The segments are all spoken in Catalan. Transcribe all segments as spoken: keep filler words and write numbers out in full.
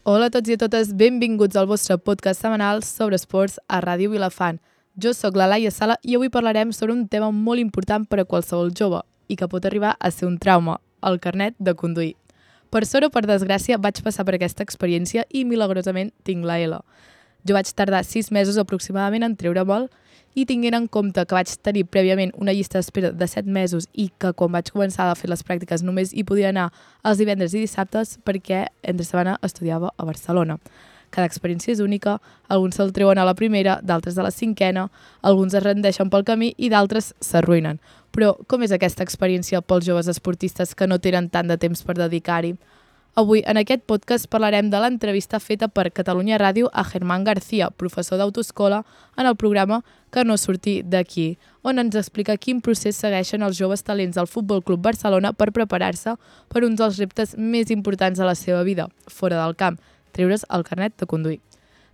Hola a tots i a totes, benvinguts al vostre podcast setmanal sobre esports a Ràdio Vilafant. Jo sóc la Laia Sala i avui parlarem sobre un tema molt important per a qualsevol jove i que pot arribar a ser un trauma, el carnet de conduir. Per sort o per desgràcia vaig passar per aquesta experiència i milagrosament tinc la L. Jo vaig tardar sis mesos aproximadament en treure vol i tinguent en compte que vaig tenir prèviament una llista d'espera de set mesos i que quan vaig començar a fer les pràctiques només hi podia anar els divendres i dissabtes perquè entre setmana estudiava a Barcelona. Cada experiència és única, alguns se'l treuen a la primera, d'altres a la cinquena, alguns es rendeixen pel camí i d'altres s'arruïnen. Però com és aquesta experiència pels joves esportistes que no tenen tant de temps per dedicar-hi? Avui, en aquest podcast, parlarem de l'entrevista feta per Catalunya Ràdio a Germán García, professor d'autoescola, en el programa Que no surti d'aquí, on ens explica quin procés segueixen els joves talents del Futbol Club Barcelona per preparar-se per uns dels reptes més importants de la seva vida, fora del camp, treure's el carnet de conduir.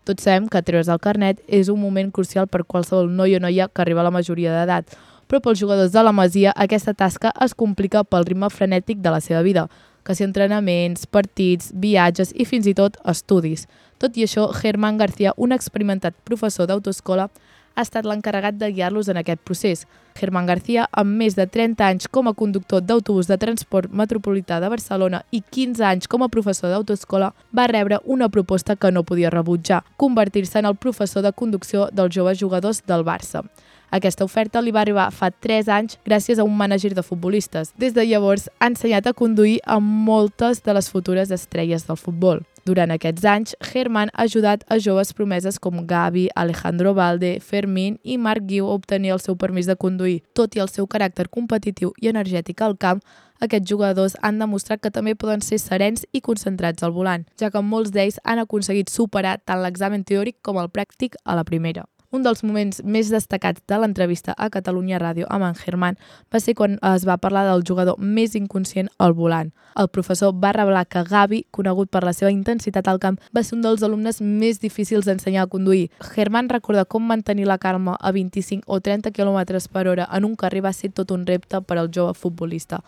Tots sabem que treure's el carnet és un moment crucial per qualsevol noi o noia que arriba a la majoria d'edat, però pels jugadors de la Masia aquesta tasca es complica pel ritme frenètic de la seva vida, que si entrenaments, partits, viatges i fins i tot estudis. Tot i això, Germán García, un experimentat professor d'autoescola, ha estat l'encarregat de guiar-los en aquest procés. Germán García, amb més de trenta anys com a conductor d'autobús de transport metropolità de Barcelona i quinze anys com a professor d'autoescola, va rebre una proposta que no podia rebutjar, convertir-se en el professor de conducció dels joves jugadors del Barça. Aquesta oferta li va arribar fa tres anys gràcies a un mànager de futbolistes. Des de llavors ha ensenyat a conduir a moltes de les futures estrelles del futbol. Durant aquests anys, Germán ha ajudat a joves promeses com Gavi, Alejandro Valde, Fermín i Marc Guiu a obtenir el seu permís de conduir. Tot i el seu caràcter competitiu i energètic al camp, aquests jugadors han demostrat que també poden ser serens i concentrats al volant, ja que molts d'ells han aconseguit superar tant l'examen teòric com el pràctic a la primera. Un dels moments més destacats de l'entrevista a Catalunya Ràdio amb en Germán va ser quan es va parlar del jugador més inconscient al volant. El professor va revelar que Gavi, conegut per la seva intensitat al camp, va ser un dels alumnes més difícils d'ensenyar a conduir. Germán recorda com mantenir la calma a vint-i-cinc o trenta quilòmetres per hora en un carrer va ser tot un repte per al jove futbolista.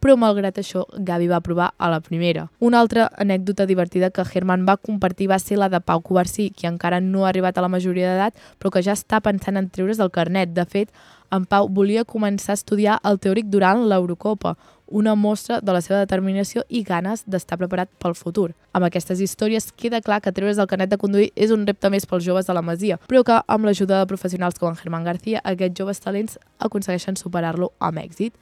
Però malgrat això, Gavi va provar a la primera. Una altra anècdota divertida que Germán va compartir va ser la de Pau Covarsí, qui encara no ha arribat a la majoria d'edat, però que ja està pensant en treure's el carnet. De fet, en Pau volia començar a estudiar el teòric durant l'Eurocopa, una mostra de la seva determinació i ganes d'estar preparat pel futur. Amb aquestes històries queda clar que treure's el carnet de conduir és un repte més pels joves de la Masia, però que amb l'ajuda de professionals com en Germán García, aquests joves talents aconsegueixen superar-lo amb èxit.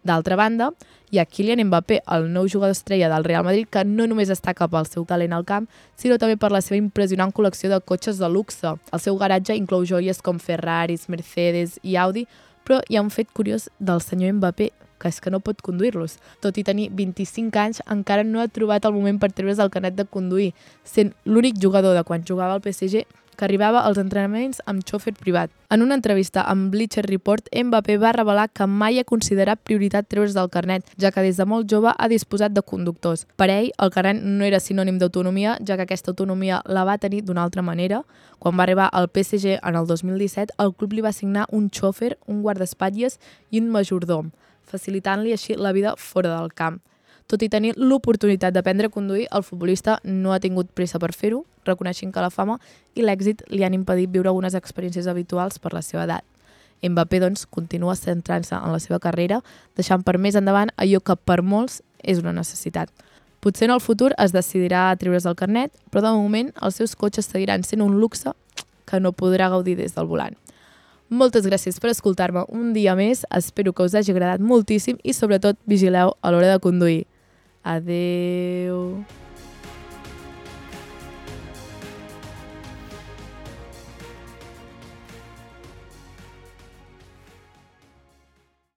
D'altra banda, hi ha Kylian Mbappé, el nou jugador estrella del Real Madrid, que no només destaca pel seu talent al camp, sinó també per la seva impressionant col·lecció de cotxes de luxe. El seu garatge inclou joies com Ferraris, Mercedes i Audi, però hi ha un fet curiós del senyor Mbappé, que és que no pot conduir-los. Tot i tenir vint-i-cinc anys, encara no ha trobat el moment per treure's el carnet de conduir, sent l'únic jugador de quan jugava al P S G que arribava als entrenaments amb xòfer privat. En una entrevista amb Bleacher Report, Mbappé va revelar que mai ha considerat prioritat treure's del carnet, ja que des de molt jove ha disposat de conductors. Per ell, el carnet no era sinònim d'autonomia, ja que aquesta autonomia la va tenir d'una altra manera. Quan va arribar al P S G en el dos mil disset, el club li va assignar un xòfer, un guardaespatlles i un majordom, facilitant-li així la vida fora del camp. Tot i tenir l'oportunitat d'aprendre a conduir, el futbolista no ha tingut pressa per fer-ho, reconeixent que la fama i l'èxit li han impedit viure algunes experiències habituals per la seva edat. Mbappé, doncs, continua centrant-se en la seva carrera, deixant per més endavant allò que per molts és una necessitat. Potser en el futur es decidirà a treure's el carnet, però de moment els seus cotxes seguiran sent un luxe que no podrà gaudir des del volant. Moltes gràcies per escoltar-me un dia més, espero que us hagi agradat moltíssim i sobretot vigileu a l'hora de conduir. Adeu.